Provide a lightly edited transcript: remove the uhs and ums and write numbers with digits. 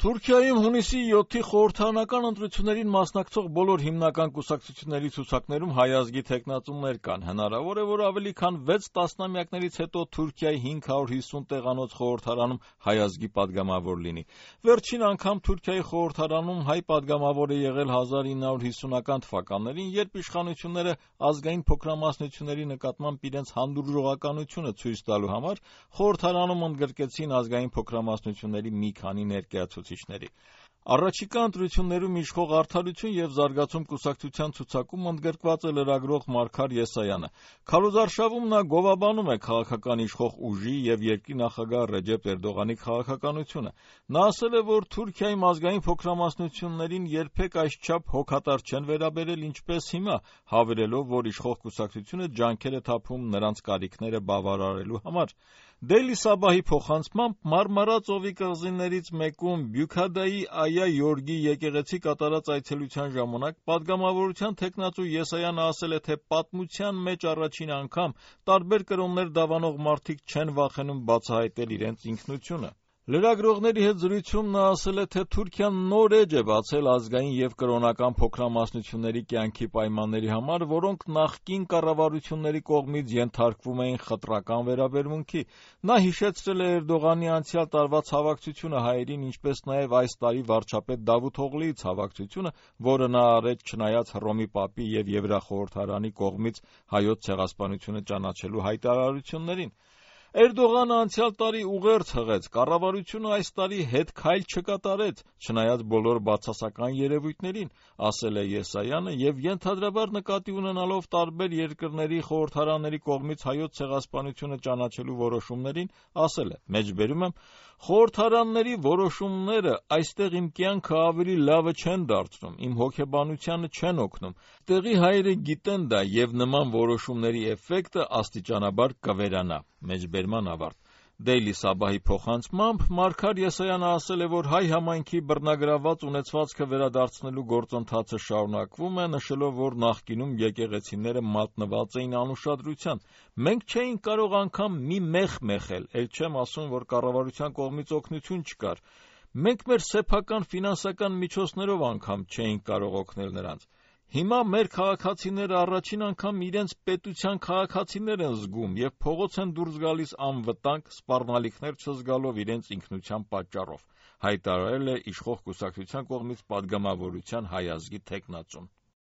Թուրքիայում հունիսի 7-ի խորհրդարանական ընտրություններին մասնակցող բոլոր հիմնական կուսակցությունների ցուցակներում հայ ազգի թեկնածուներ կան։ Հնարավոր է, որ ավելի քան 6 տասնամյակներից հետո Թուրքիայի 550 տեղանոց խորհրդարանում հայ ազգի падգամավոր լինի։ Վերջին անգամ Թուրքիայի խորհրդարանում հայ падգամավոր է եղել 1950-ական թվականներին, երբ իշխանությունները ազգային փոքրամասնությունների նկատմամբ իրենց հանդուրժողականությունը ցույց տալու համար խորհրդարանում ընդգրկեցին ազգային փոքրամասնությունների մի քանի ներկայացուցիչների։ Առաջիկա ընտրություններում իշխող Արդարություն և զարգացում կուսակցության ցուցակում ընդգրկված է լրագրող Մարգար Եսայանը։ Քարոզարշավում նա գովաբանում է քաղաքական իշխող ուժի և երկրի նախագահ Ռեջեփ Էրդողանի քաղաքականությունը։ Նա ասել է, որ Թուրքիայում ազգային փոքրամասնություններին երբեք այսչափ հոգատար չեն վերաբերել, ինչպես հիմա, հավելելով, որ իշխող կուսակցությունը ջանքեր է թափում նրանց կարիքները բավարարելու համար։ Դեյլի Սաբահի փոխանցմամբ Մարմարա ծովի կղզիներից մեկում Բյուքադայի Այա Յորգի եկեղեցի կատարած այցելության ժամանակ падգամավորության թեկնածու Եսայանը ասել է, թե պատմության մեջ առաջին անգամ տարբեր կրոններ դավանող մարդիկ չեն վախենում բացահայտել իրենց ինքնությունը։ Լրագրողների հետ զրույցում նա ասել է, թե Թուրքիան նոր էջ է բացել ազգային և կրոնական փոքրամասնությունների կյանքի պայմանների համար, որոնք նախկին կառավարությունների կողմից ենթարկվում էին խտրական վերաբերմունքի։ Նա հիշեցրել է Էրդողանի անցյալ տարվա ցավակցությունը հայերին, ինչպես նաև այս տարի վարչապետ Դավութ Օղլիի ցավակցությունը, որը նա արեց չնայած Հռոմի Պապի և Եվրախորհրդարանի կողմից հայոց ցեղասպանությունը ճանաչելու հայտարարություններին։ Էրդողանը անցյալ տարի ուղերձ հղեց, կառավարությունը այս տարի հետքայլ չկատարեց, չնայած բոլոր բացասական երևույթներին, ասել է Եսայանը և ենթադրաբար նկատի ունենալով տարբեր երկրների խորհրդարանների կողմից հայոց ցեղասպանությունը ճանաչելու որոշումներին, ասել է. «Մեջբերում եմ, խորհրդարանների որոշումները այստեղ իմ կյանքը ավելի լավը չեն դարձնում, իմ հոգեբանությանը չեն օգնում։ Տեղի հայերը գիտեն դա և նման որոշումների էֆեկտը աստիճանաբար կվերանա»։ Մեջբերման ավարտ։ Դեյլի Սաբահի փոխանցմամբ Մարգար Եսայանը ասել է, որ հայ համայնքի բռնագրավված ունեցվածքը վերադարձնելու գործընթացը շարունակվում է, նշելով, որ նախկինում եկեղեցիները մատնված էին անուշադրության։ «Մենք չէինք կարող անգամ մի մեղ մեխել, էլ չեմ ասում, որ կառավարության կողմից օգնություն չկար։ Մենք մեր սեփական ֆինանսական միջոցներով անգամ չէինք կարող օգնել նրանց։ Հիմա մեր քաղաքացիները առաջին անգամ իրենց պետության քաղաքացիներ են զգում և փողոց են դուրս գալիս անվտանգ, սպառնալիքներ չզգալով իրենց ինքնության պատճառով», հայտարարել է իշխող կուսակցության կողմից падգամավորության հայ ազգի թեկնածուն։